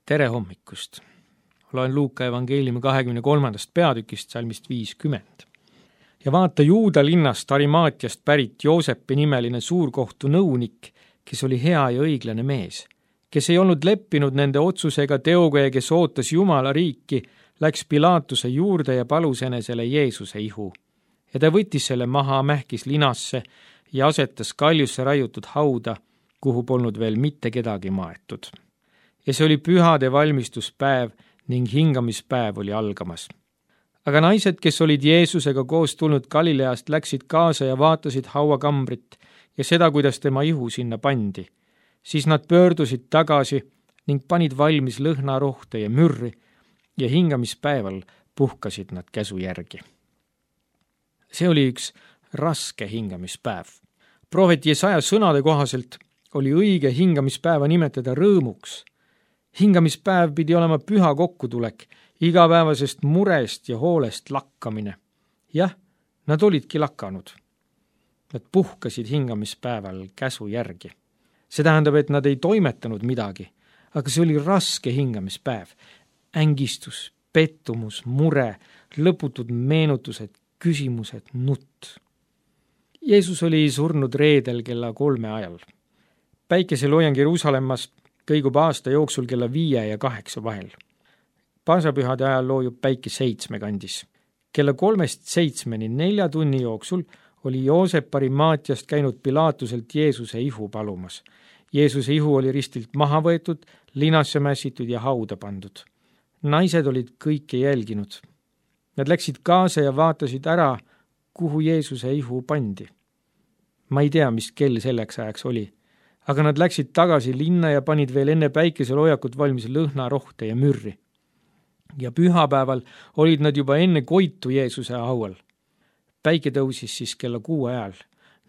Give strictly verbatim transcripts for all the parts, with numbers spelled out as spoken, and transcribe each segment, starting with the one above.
Tere hommikust! Loen Luuka evangeeliumi kahekümne kolmandast peatükist salmist viiskümmend. Ja vaata, Juuda linnast Arimaatiast pärit Joosepi nimeline suurkohtu nõunik, kes oli hea ja õiglane mees, kes ei olnud leppinud nende otsusega teoga ja kes ootas Jumala riiki, läks Pilaatuse juurde ja palus enesele Jeesuse ihu. Ja ta võttis selle maha, mähkis linasse ja asetas kaljusse raiutud hauda, kuhu polnud veel mitte kedagi maetud. Ja see oli pühade valmistuspäev ning hingamispäev oli algamas. Aga naised, kes olid Jeesusega koos tulnud Galileast, läksid kaasa ja vaatasid hauakambrit ja seda, kuidas tema ihu sinna pandi. Siis nad pöördusid tagasi ning panid valmis lõhnarohte ja mürri ja hingamispäeval puhkasid nad käsu järgi. See oli üks raske hingamispäev. Prohvet Jesaja sõnade kohaselt oli õige hingamispäeva nimetada rõõmuks. Hingamispäev pidi olema püha kokkutulek, igapäevasest murest ja hoolest lakkamine. Jah, nad olidki lakanud. Nad puhkasid hingamispäeval käsu järgi. See tähendab, et nad ei toimetanud midagi, aga see oli raske hingamispäev. Ängistus, pettumus, mure, lõputud meenutused, küsimused, nutt. Jeesus oli surnud reedel kella kolme ajal. Päikeseloojang Jeruusalemmas kõigub aasta jooksul kella viie ja kaheksa vahel. Paasapühade ajal loojub päike seitsme kandis. Kella kolmest seitsmeni nelja tunni jooksul oli Joosep Arimaatiast käinud Pilaatuselt Jeesuse ihu palumas. Jeesuse ihu oli ristilt maha võetud, linasse mässitud ja hauda pandud. Naised olid kõike jälginud. Nad läksid kaasa ja vaatasid ära, kuhu Jeesuse ihu pandi. Ma ei tea, mis kell selleks ajaks oli, aga nad läksid tagasi linna ja panid veel enne päikeseloojakut valmis lõhnarohte ja mürri. Ja pühapäeval olid nad juba enne koitu Jeesuse haual. Päike tõusis siis kella kuue ajal.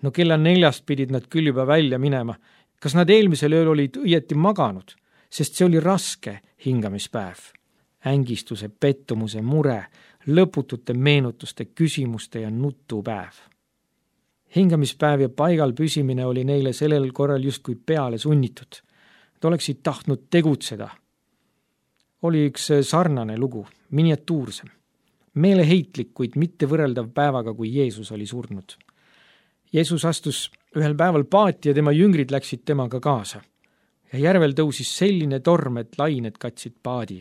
No kella neljast pidid nad küll juba välja minema. Kas nad eelmisel ööl olid õieti maganud, sest see oli raske hingamispäev. Ängistuse, pettumuse, mure, lõputute meenutuste, küsimuste ja nutupäev. Hingamispäev ja paigal püsimine oli neile sellel korral justkui peale sunnitud. Nad oleksid tahtnud tegutseda. Oli üks sarnane lugu, miniatuursem. Meeleheitlik, kuid mitte võrreldav päevaga, kui Jeesus oli surnud. Jeesus astus ühel päeval paati ja tema jüngrid läksid temaga kaasa. Ja järvel tõusis selline torm, et lained katsid paadi.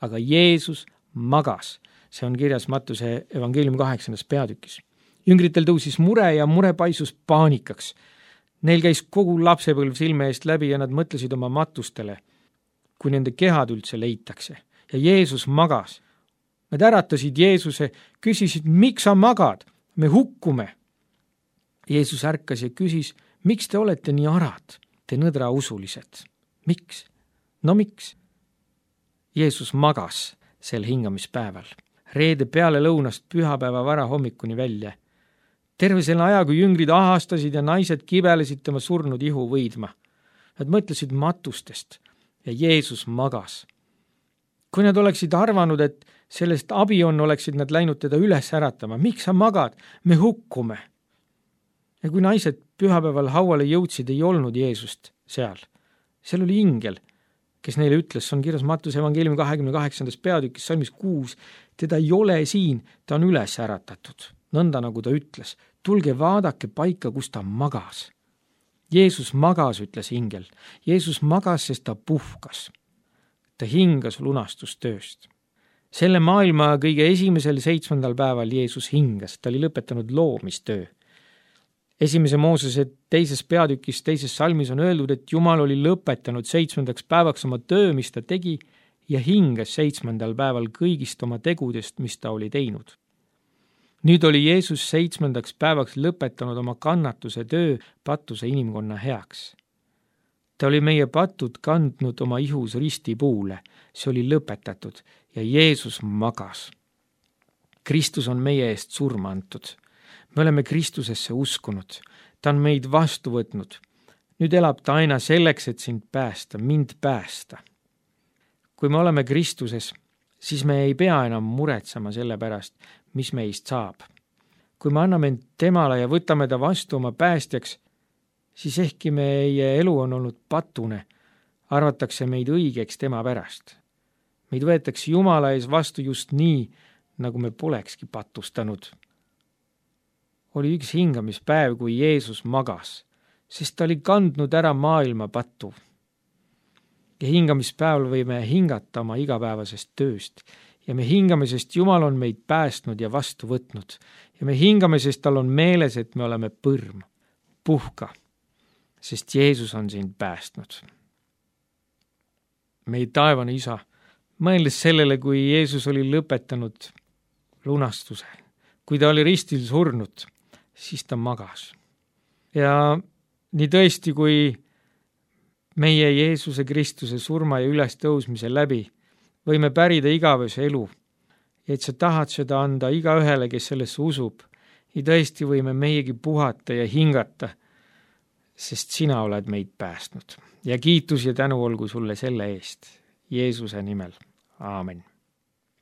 Aga Jeesus magas. See on kirjas Mattuse evangeeliumi kaheksandas peatükis. Jüngritel tõusis mure ja mure paisus paanikaks. Neil käis kogu lapsepõlv silme eest läbi ja nad mõtlesid oma matustele, kui nende kehad üldse leitakse. Ja Jeesus magas. Nad äratasid Jeesuse, küsisid, miks sa magad? Me hukkume. Jeesus ärkas ja küsis, miks te olete nii arad, te nõdra usulised? Miks? No miks? Jeesus magas sel hingamispäeval, reede peale lõunast pühapäeva vara hommikuni välja. Terve selle aja, kui jüngrid ahastasid ja naised kibelesid tema surnud ihu võidma. Nad mõtlesid matustest ja Jeesus magas. Kui nad oleksid arvanud, et sellest abi on, oleksid nad läinud teda üles äratama. Miks sa magad? Me hukkume. Ja kui naised pühapäeval hauale jõudsid, ei olnud Jeesust seal. Seal oli ingel, kes neile ütles, on kirjas Mattuse evangeeliumi kahekümne kaheksandas peatükis salmis kuus, teda ei ole siin, ta on üles äratatud. Nõnda nagu ta ütles, tulge vaadake paika, kus ta magas. Jeesus magas, ütles ingel. Jeesus magas, sest ta puhkas. Ta hingas lunastustööst. Selle maailma kõige esimesel seitsmendal päeval Jeesus hingas, ta oli lõpetanud loomistöö. Esimese Moosese teises peatükis, teises salmis on öeldud, et Jumal oli lõpetanud seitsmendaks päevaks oma töö, mis ta tegi, ja hingas seitsmendal päeval kõigist oma tegudest, mis ta oli teinud. Nüüd oli Jeesus seitsmendaks päevaks lõpetanud oma kannatuse töö patuse inimkonna heaks. Ta oli meie patud kandnud oma ihus ristipuule, see oli lõpetatud ja Jeesus magas. Kristus on meie eest surma antud. Me oleme Kristusesse uskunud, ta on meid vastu võtnud. Nüüd elab ta aina selleks, et sind päästa, mind päästa. Kui me oleme Kristuses, siis me ei pea enam muretsema selle pärast, mis meist saab. Kui me anname end temale ja võtame ta vastu oma päästjaks, siis ehkki meie elu on olnud patune, arvatakse meid õigeks tema pärast. Meid võetakse Jumala ees vastu just nii, nagu me polekski patustanud. Oli üks hingamispäev, kui Jeesus magas, sest ta oli kandnud ära maailma pattu. Ja hingamispäeval võime hingata oma igapäevasest tööst ja me hingame, sest Jumal on meid päästnud ja vastu võtnud ja me hingame, sest tal on meeles, et me oleme põrm. Puhka, sest Jeesus on sind päästnud. Meie taevane Isa, mõeldes sellele, kui Jeesus oli lõpetanud lunastuse, kui ta oli ristil surnud, siis ta magas. Ja nii tõesti, kui meie Jeesuse Kristuse surma ja ülestõusmise läbi võime pärida igavese elu, et sa tahad seda anda iga ühele, kes sellesse usub, ja tõesti võime meiegi puhata ja hingata, sest sina oled meid päästnud. Ja kiitus ja tänu olgu sulle selle eest, Jeesuse nimel. Aamen.